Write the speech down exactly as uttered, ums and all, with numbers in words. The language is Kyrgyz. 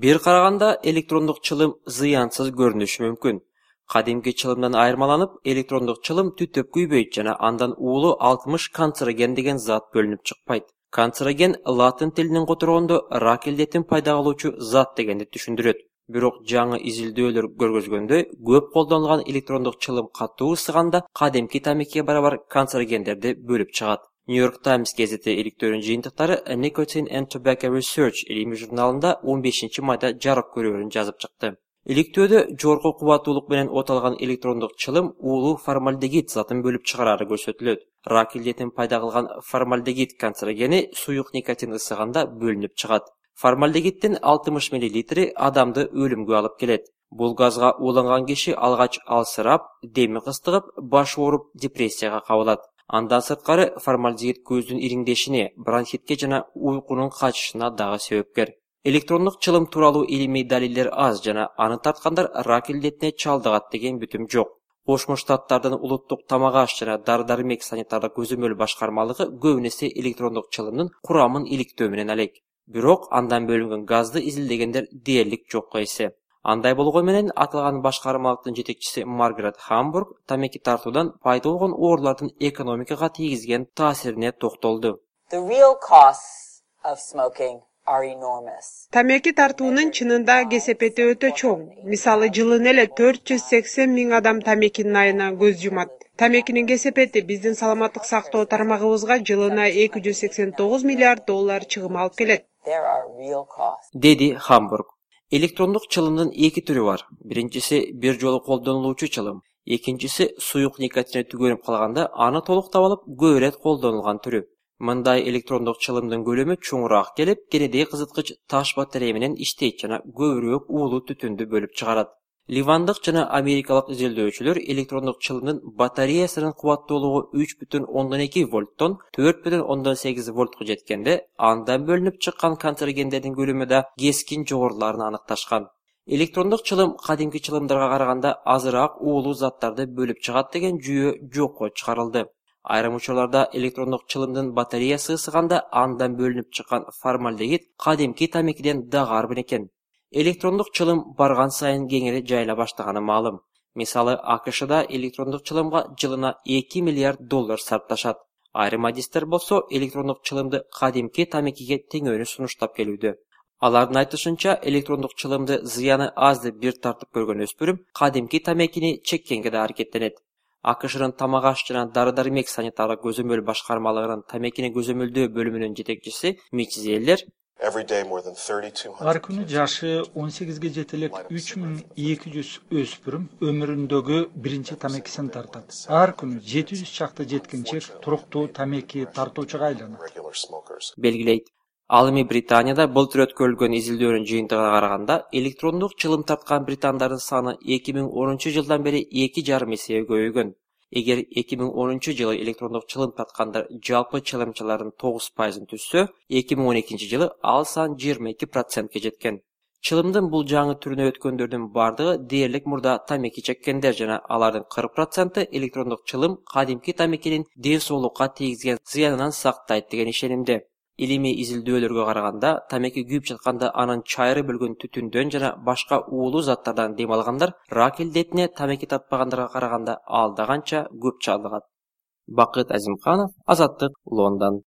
Бир караганда электрондук чылым зыянсыз көрүнүшү мүмкүн. Кадимки чылымдан айырмаланып, электрондук чылым түтөп күйбөйт жана андан уулу алтымыш канцероген деген зат бөлүнүп чыкпайт. Канцероген латын тилинен которгондо рак илдетин пайда кылуучу зат дегенди түшүндүрөт. Бирок жаңы изилдөөлөр көргөзгөндөй, көп колдонулган электрондук чылым катуу ысыганда кадимки тамекиге барабар канцерогендерди бөлүп чыгат. New York Times газети иликтөөрүнүн жыйынтыктары Nicotine and Tobacco Research илимий журналында он бешинчи майда жарык көрүүрүн жазып чыкты. Иликтөөдө жогорку кубаттуулук менен оталган электрондук чылым уулуу формальдегид затын бөлүп чыгарары көрсөтүлөт. Рак илдетин пайда кылган формальдегид канцерогени суюк никотин ысыганда бөлүнүп чыгат. Формальдегиддин алтымыш миллилитри адамды өлүмгө алып келет. Бул газга ууланган киши алгач алсырап, деми кыстыгып, баш ооруп, депрессияга кабылат. Андан сырткары формальдегид көздүн ириңдешине, бронхитке жана уйкунун качышына дагы себепкер. Электрондук чылым тууралуу илимий далилдер аз жана аны тарткандар рак илдетине чалдыгат деген бүтүм жок. Кошмо Штаттардын улуттук тамак-аш жана дары-дармек санитардык көзөмөл башкармалыгы көбүн эсе электрондук чылымдын курамын иликтөө менен алек. Бирок андан бөлүнгөн газды изилдегендер дээрлик жокко эсе. Андай болгону менен аталган башкармалыктын жетекчиси Маргарет Хамбург тамеки тартуудан пайда болгон оорулардын экономикага тийгизген таасирине токтолду. Тамеки тартуунун чынында кесепети өтө чоң. Мисалы, жылына эле төрт жүз сексен миң адам тамекинин айына көз жумат. Тамекинин кесепети биздин саламаттык сактоо тармагыбызга жылына эки жүз сексен тогуз миллиард доллар чыгым алып келет. Деди Хамбург. Электрондук чылымдын эки түрү бар. Биринчиси бир жолу колдонулуучу чылым, экинчиси суюк никотине түгөнүп калганда аны толуктап алып көп ирет колдонулган түрү. Мындай электрондук чылымдын көлөмү чоңураак келип, кенедей кызыткыч таш батарея менен иштейт жана көбүрөөк уулуу түтүндү бөлүп чыгарат. Ливандык жана америкалык изилдөөчүлөр электрондук чылымдын батареясынын кубаттуулугу үч бүтүн ондон эки вольттон төрт бүтүн ондон сегиз вольтко жеткенде, андан бөлүнүп чыккан канцерогендердин көлөмү да кескин жогоруларын аныкташкан. Электрондук чылым кадимки чылымдарга караганда азыраак уулуу заттарды бөлүп чыгат деген жүйө жокко чыгарылды. Айрым учурларда электрондук чылымдын батареясы ысыганда андан бөлүнүп чыккан формальдегид кадимки тамекиден дагы арбын экен. Электрондук чылым барган сайын кеңири жайыла баштаганы маалым. Мисалы, АКШда электрондук чылымга жылына эки миллиард доллар сарпташат. Айрым адистер болсо электрондук чылымды кадимки тамекиге теңөөнү сунуштап келүүдө. Алардын айтышынча, электрондук чылымды зыяны аз деп бир тартып көргөн өспүрүм кадимки тамекини чеккенге да аракеттенет. АКШнын тамак-аш жана дары-дармек санитардык көзөмөл башкармалыгынын тамекини көзөмөлдөө бөлүмүнүн жетекчиси Мич Зеллер ар күнү жашы он сегизге жете элек үч миң эки жүз өспүрүм өмүрүндөгү биринчи тамекисин тартат. Ар күнү жети жүз чакта жеткинчек туруктуу тамеки тартуучуга айланат. Белгилейт. Ал эми Британияда былтыр өткөрүлгөн изилдөөнүн жыйынтыгына караганда, электрондук чылым тарткан британдардын саны эки миң онунчу жылдан бери эки жарым эсеге көбөйгөн. Эгер эки миң онунчу жылы электрондук чылым тарткандар жалпы чылымчылардын тогуз пайызын түзсө, эки миң он экинчи жылы ал сан жыйырма эки процентке жеткен. Чылымдын бул жаңы түрүнө өткөндөрдүн бардыгы дээрлик мурда тамеки чеккендер жана алардын кырк проценти электрондук чылым кадимки тамекинин ден соолукка тийгизген зыянынан сактайт деген ишенимде. Илимий изилдөөлөргө караганда, тамеки күйүп жатканда анын чайры бөлгөн түтүндөн жана башка уулуу заттардан дем алгандар рак илдетине тамеки тартпагандарга караганда алда канча көп чалдыгат. Бакыт Азимканов, Азаттык, Лондон.